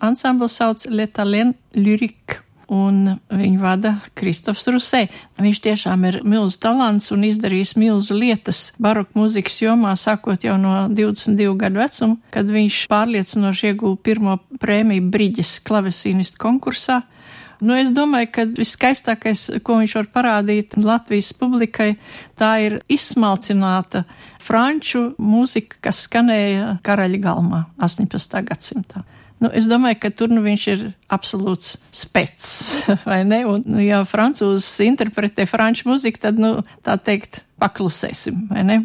ansambls sauc Le Talent Lyrique, un viņu vada Kristofs Rusē. Viņš tiešām ir milzu talants un izdarījis milzu lietas baroku mūzikas jomā, sākot jau no 22 gadu vecuma, kad viņš pārliecinoši ieguva pirmo prēmiju Briģes klavesīnistu konkursā. Es domāju, ka viskaistākais, ko viņš var parādīt Latvijas publikai, tā ir izsmalcināta franču mūzika, kas skanēja Karaļa galmā 18. gadsimtā. Es domāju, ka tur viņš ir absolūts specs, vai ne? Un, ja francūzs interpretē franču mūziku, tad, tā teikt, paklusēsim, vai ne?